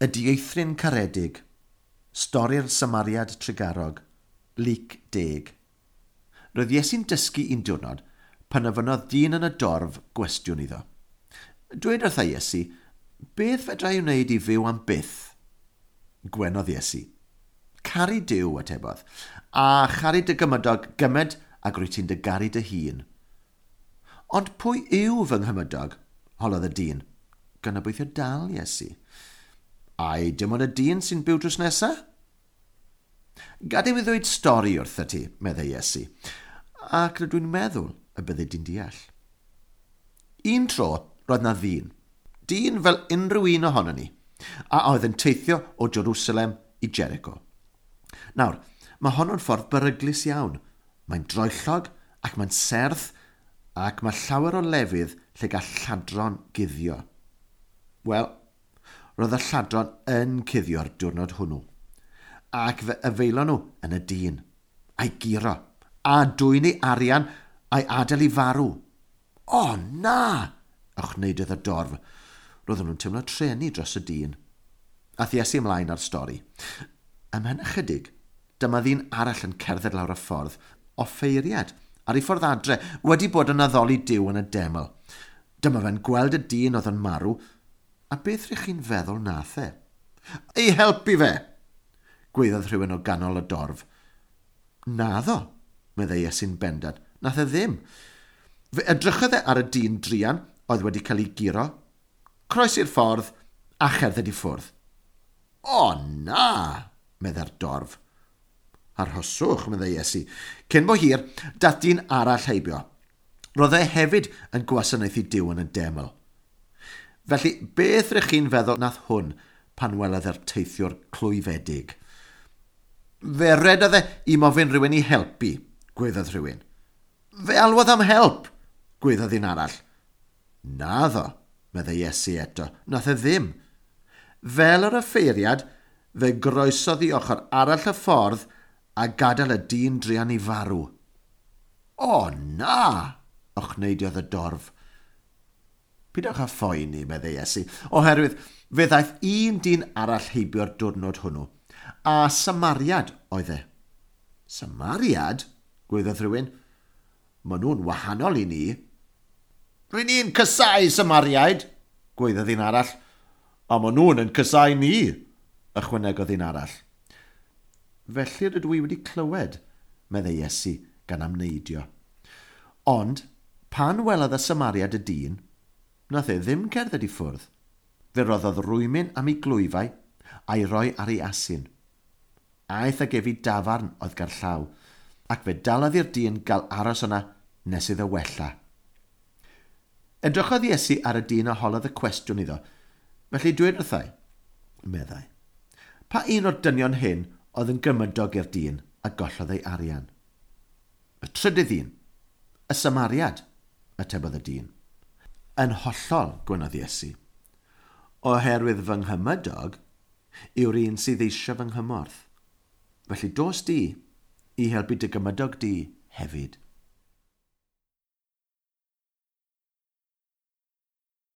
Y dieithryn caredig, stori'r Samariad trugarog, Luc 10. Roedd Iesu'n dysgu un diwrnod pan ofynnodd dyn yn y dorf gwestiwn iddo. Dweud wrtha Iesu, beth fedra i wneud i fyw am byth? Gwenodd Iesu. Caru Duw, atebodd, a charu dy gymydog gymaint ag rwyt ti'n dy garu dy hun. Ond pwy yw fy nghymydog? Holodd y dyn, gan obeithio dal Iesu. Ai dim ond y dyn sy'n byw drws nesa? Gad i mi ddweud stori wrtho ti, meddai Iesu, ac rydw i'n meddwl y byddi di'n deall. Un tro, roedd na ddyn, dyn fel unrhyw un ohonon ni, a oedd yn teithio o Jerusalem i Jericho. Nawr, mae honno'n ffordd beryglus iawn. Mae'n droellog ac mae'n serth ac mae llawer o lefydd lle gall lladron guddio. Wel, roedd y lladron yn cuddio'r diwrnod hwnnw, ac fe yfeilon nhw yn y dyn, a'i guro, a dwyn ei arian a'i adael i farw. O, na! Ochneidodd y dorf. Roedden nhw'n teimlo trueni dros y dyn. Aeth Iesu ymlaen â'r stori. Ymhen ychydig, dyma ddyn arall yn cerdded lawr y ffordd, offeiriad, ar ei ffordd adre, wedi bod yn addoli Duw yn y deml. Dyma fe'n gweld y dyn oedd yn marw, a beth rych chi'n feddwl nath e? Ei helpu fe! Gweiddodd rhywun o ganol y dorf. Naddo, meddai Iesu'n bendant, nath e ddim. Fe edrychodd e ar y dyn druan oedd wedi cael ei guro, croesi'r ffordd a cherdded i ffwrdd. O na, meddai'r dorf. Arhoswch, meddai Iesu. Cyn bo hir, dath dyn arall heibio. Roedd e hefyd yn gwasanaethu Duw yn y deml. Felly, beth rych chi'n feddwl nath hwn pan welodd e'r teithiwr clwyfedig? Fe redodd e i mofyn rhywun i helpu, gweiddodd rhywun. Fe alwodd am help, gweiddodd un arall. Naddo, meddai Iesu eto, nath e ddim. Fel yr offeiriad, fe groesodd i ochr arall y ffordd a gadael y dyn druan i farw. O na, ochneidiodd y dorf. Pidwch â phoeni, meddai Iesu, oherwydd fe ddaeth un dyn arall heibio'r diwrnod hwnnw, a Samariad oedd e. Samariad? Gweiddodd rhywun. Maen nhw'n wahanol i ni. Rŷn ni'n casáu Samariaid, gweiddodd un arall. A maen nhw'n yn casáu ni, ychwanegodd un arall. Felly rydw i wedi clywed, meddai Iesu gan amneidio. Ond, pan welodd y Samariad y dyn, nath e ddim cerdded i ffwrdd. Fe roddodd rwymyn am ei glwyfau a'i roi ar ei asyn. Aeth ag ef i dafarn oedd gerllaw, ac fe dalodd i'r dyn gael aros yna nes iddo wella. Edrychodd Iesu ar y dyn a holodd y cwestiwn iddo. Felly dweud wrthai, meddai, pa un o'r dynion hyn oedd yn gymydog i'r dyn a gollodd ei arian? Y trydydd un, y Samariad, atebodd y dyn. Yn hollol, gwenodd Iesu, oherwydd fy nghymydog yw'r un sydd eisiau fy nghymorth. Felly dos di i helpu dy gymydog di hefyd.